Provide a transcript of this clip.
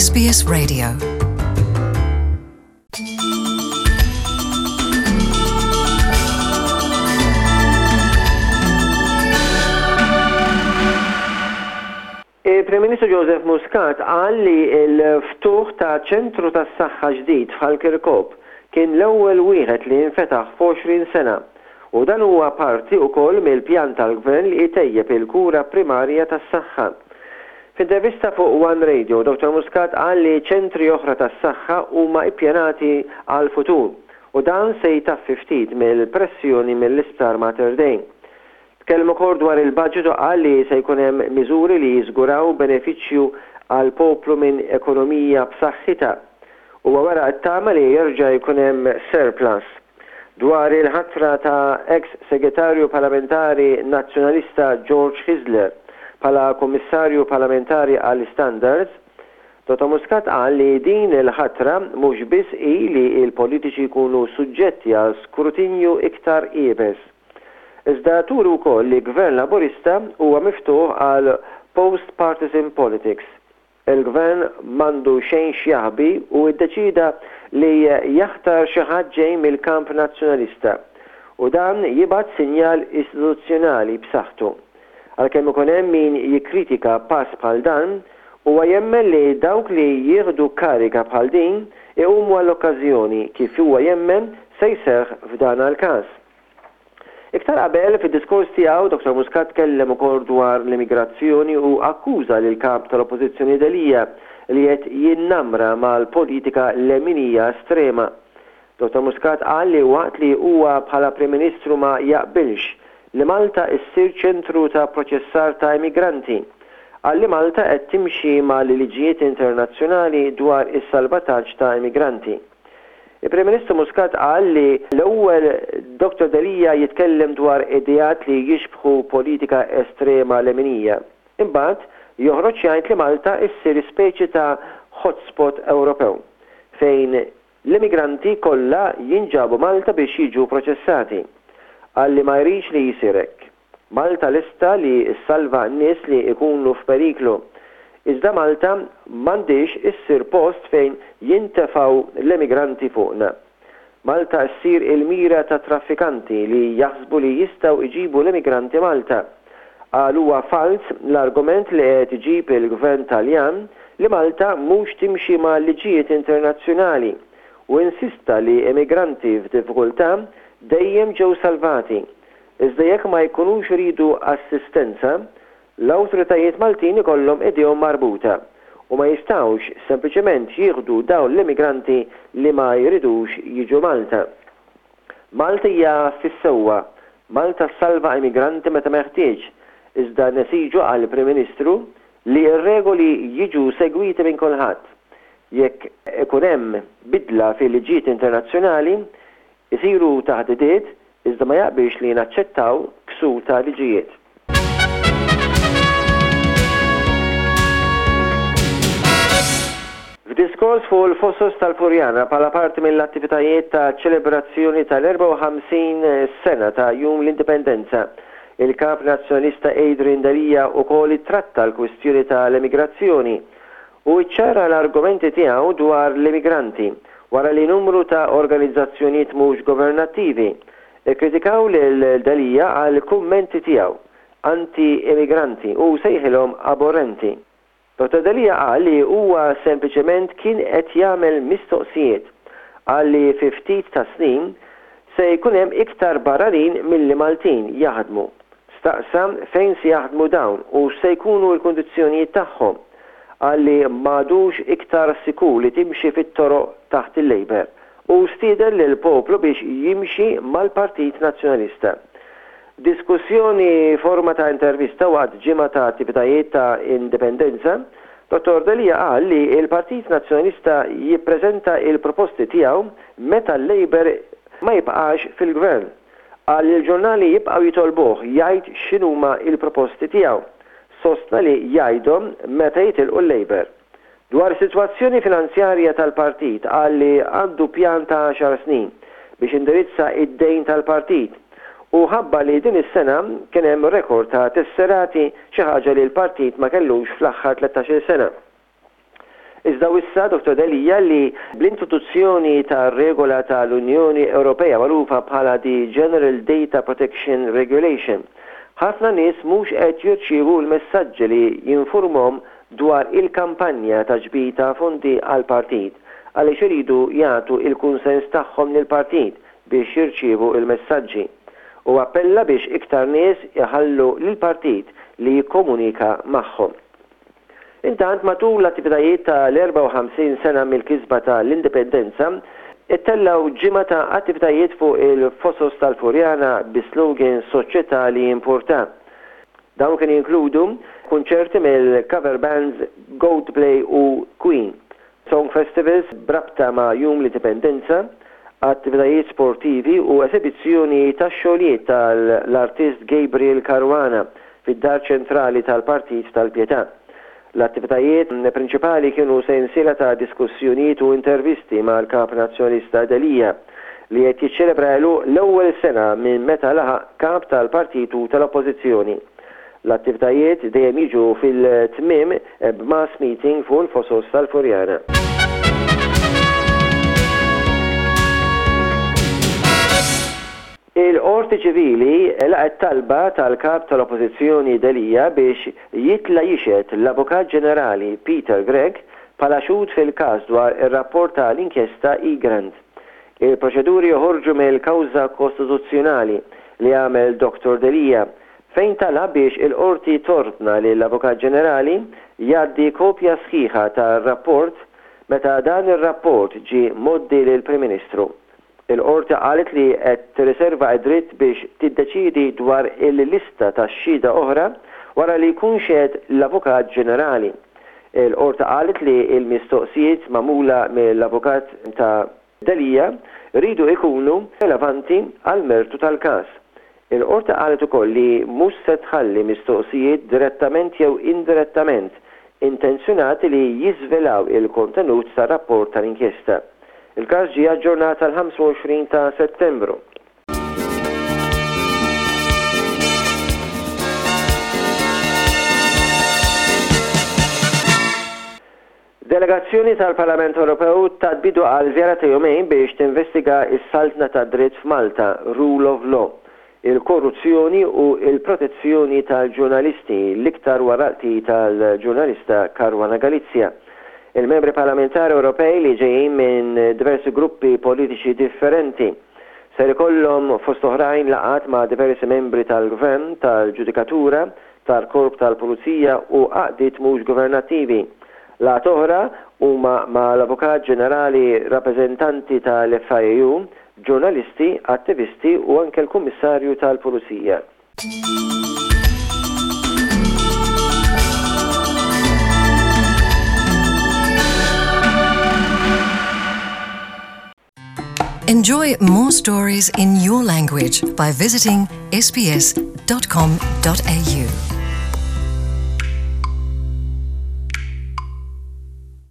SBS Radio. Il-Prim Ministru Joseph Muscat qal li l-ftuħ ta' ċentru tas-saħħa ġdid f'Ħal Kirkop kien l-ewwel wieħed li nfetaħ f'għoxrin sena u dan huwa parti ukoll mill-pjan tal-Gvern li jtejjeb il-kura primarja tas-saħħa. F'intervista fuq One Radio, Dottor Muscat qal li ċentri oħra tas-saħħa huma ippjanati għall-futur u dan se jtaffi ftit mill-pressjoni mill-Isptar Mater Dei. Tkellem ukoll dwar il-budget u qal li se jkun hemm miżuri li jiżguraw benefiċċju għall-poplu minn ekonomija b'saħħitha. Huwa wera t-tama li jerġa' jkun hemm surplus. Dwar il-ħatra ta' eks Segretarju Parlamentari Nazzjonalista George Hyzler bħala Kummissarju Parlamentari għall-Istandards, Dottor Muscat qal li din il-ħatra mhux biss hi li l-politiċi jkunu suġġetti għal skrutinju iktar iebes. Iżda turi wkoll li Gvern Laburista huwa miftuħ għal post-partisan politics. Il-Gvern m'għandu xejn x'jaħbi u ddeċieda li jaħtar xi ħadd ġej mill-kamp Nazzjonalista. U dan jibgħat sinjal istituzzjonali b'saħħtu. Għalkemm ikun hemm min jikkritika pass bħal dan, huwa jemmen li dawk li jieħdu kariga bħal din iqumu għall-okkażjoni kif huwa jemmen se jseħħ f'dan l-każ. Iktar qabel, fid-diskors tiegħu, Dottor Muscat tkellem ukoll dwar l-immigrazzjoni u akkuża lill-Kap tal-Oppożizzjoni Delia li qed jinnamra mal-politika leminija estrema. Dottor Muscat qal li waqt li huwa bħala Prim Ministru ma jaqbilx li Malta issir ċentru ta' proċessar ta' immigranti, qal li Malta qed timxi mal-liġijiet internazzjonali dwar is-salvataġġ ta' immigranti. Il-Prim Ministru Muscat qal li l-ewwel Dottor Delia jitkellem dwar ideat li jixbħu politika estrema leminija. Imbagħad joħroġ jgħid li Malta issir speċi ta' hotspot Ewropew, fejn l-immigranti kollha jinġabu Malta biex jiġu proċessati. Qal li ma jridx li jsir hekk. Malta lesta li ssalva nies li jkunu f'periklu. Iżda Malta m'għandhiex issir post fejn jintefgħu l-emigranti fuqna. Malta ssir il-mira ta' traffikanti li jaħsbu li jistgħu jġibu l-emigranti Malta. Qal huwa falz l-argument li qed iġib il-Gvern Taljan li Malta mhux timxi ma' liġijiet internazzjonali u insista li emigranti f'diffikultà dejjem ġew salvati Iżda jekk ma jkunux iridu assistenza, l-awtoritajiet Maltin ikollhom idejhom marbuta u ma jistgħux sempliċement jieħdu dawn l-immigranti li ma jridux jiġu Malta. Malta hija fis-sewwa, Malta ssalva immigranti meta meħtieġ, iżda nesiġu, qal il-Prim Ministru, li r-regoli jiġu segwiti minn kulħadd. Jekk ikun hemm bidla fil-liġijiet internazzjonali, Isiru taħdidiet, iżda ma jaqbilx li naċċettaw ksur ta' liġijiet. F'diskors fuq il-Fosos tal-Furjana bħala parti mill-attivitajiet ta' ċelebrazzjoni tal-54 sena ta' Jum l-Indipendenza, il-Kap Nazzjonalista Adrian Delia ukoll ittratta l-kwistjoni tal-emigrazzjoni Hu ċċara l-argumenti tiegħu dwar l-immigranti wara li numru ta' organizzazzjonijiet mhux governattivi kkritikaw lil Delia għall-kummenti tiegħu anti-immigranti u sejħilhom aborrenti. Dottor Delia qal li huwa sempliċement kien qed jagħmel mistoqsijiet. Qal li fi ftit tas-snin se jkun hemm iktar barranin milli Maltin jaħdmu. Staqsa fejn se jaħdmu dawn u x'se jkunu l-kundizzjonijiet tagħhom. Qal li m'għadux iktar sikur li timxi fit-toroq taħt il-Labour u stieden lill-poplu biex jimxi mal-Partit Nazzjonalista. F'diskussjoni forma ta' intervista waqt ġimgħa ta' attivitajiet ta' Indipendenza, Dottor Delia qal li l-Partit Nazzjonalista jippreżenta l-proposti tiegħu meta l-Labour ma jibqax fil-Gvern. Qal li l-ġurnali jibqgħu jitolbuh jgħid x'inhuma l-proposti tiegħu. Sostna li jgħidhom meta jitilqu l-Labour. Dwar is-sitwazzjoni finanzjarja tal-partit qal li għandu pjan ta' għaxar snin biex indirizza id-dejn tal-partit u ħabbar li din is-sena kien hemm rekord ta' tesserati xi ħaġa li l-partit ma kellux fl-aħħar 13-il sena. Iżda. Iżda wissa Dottor Delia li bl-introduzzjoni ta' regola tal-Unjoni Ewropea magħrufa bħala the General Data Protection Regulation, ħafna nies mhux qed jirċievu l-messaġġi li jinfurmhom dwar il-kampanja ta' ġbir ta' fondi għall-partit għaliex iridu jagħtu l-kunsens tagħhom lill-partit biex jirċievu l-messaġġi. Hu appella biex iktar nies iħallu lill-partit li jikkomunika magħhom. Intant matul l-attivitajiet ta' l-54 sena mill-kisba ta' l-Indipendenza, ittellgħu ġimgħa ta' attivitajiet fuq il-Fosos tal-Furjana bis-slogan Soċjetà li jimpurta. Dawn kienu jinkludu kunċerti mill-cover bands Goldplay u Queen, song festivals b'rabta ma' Jum l-Indipendenza, attivitajiet sportivi u esebizzjoni tax-xogħlijiet tal-artist Gabriel Caruana fid-Dar Ċentrali tal-Partit tal-Pietà. L-attivitajiet prinċipali kienu sensiela ta' diskussjonijiet u intervisti mal-Kap Nazzjonalista Delia, li qed jiċċelebra għeluq l-ewwel sena minn meta laħaq Kap tal-Partit u tal-Oppożizzjoni. L-attivitajiet dejjem jiġu fil-tmiem b'mass meeting fuq il-Fosos tal-Furjana. Il-Qorti Ċivili laqgħet talba tal-Kap tal-Oppożizzjoni Delia biex jitla' jixhed l-Avukat Ġenerali Peter Grech bħala xhud fil-każ dwar ir-rapport ta' l-inkjesta Egrant. Il-proċeduri joħorġu mill-kawża kostituzzjonali li għamel Dottor Delia fejn talab biex il-Qorti tordna lill-Avukat Ġenerali jgħaddi kopja sħiħa tar-rapport meta dan ir-rapport ġie mgħoddi lill-Prim Ministru. Il-Qorti qalet li qed tirriserva d-dritt biex tiddeċiedi dwar il-lista ta' xhieda oħra wara li jkun xehed l-Avukat Ġenerali. Il-Qorti qalet li l-mistoqsijiet magħmula mill-avukat ta' Delia jridu jkunu relevanti għall-mertu tal-każ. Il-Qorti qalet ukoll li mhux se tħalli mistoqsijiet direttament jew indirettament intenzjonati li jiżvelaw il-kontenut tar-rapport tal-inkjesta. Il-każ ġie aġġornat għall-25 ta' Settembru. Delegazzjoni tal-Parlament Ewropew tat bidu għal żjara ta' jumejn biex tinvestiga s-saltna tad-dritt f'Malta, rule of law, il-korruzzjoni u l-protezzjoni tal-ġurnalisti, l-iktar wara l-qtil tal-ġurnalista Caruana Galizia. Il-Membri Parlamentari Ewropej li ġejjin minn diversi gruppi politiċi differenti ser ikollhom fost oħrajn laqgħat ma' diversi membri tal-Gvern, tal-ġudikatura, tal-Korp tal-Pulizija u għaqdiet mhux governattivi. Laqgħat oħra huma mal-Avukat Ġenerali, rappreżentanti tal-FIAU, ġurnalisti, attivisti u anke l-Kummissarju tal-Pulizija. Enjoy more stories in your language by visiting sbs.com.au.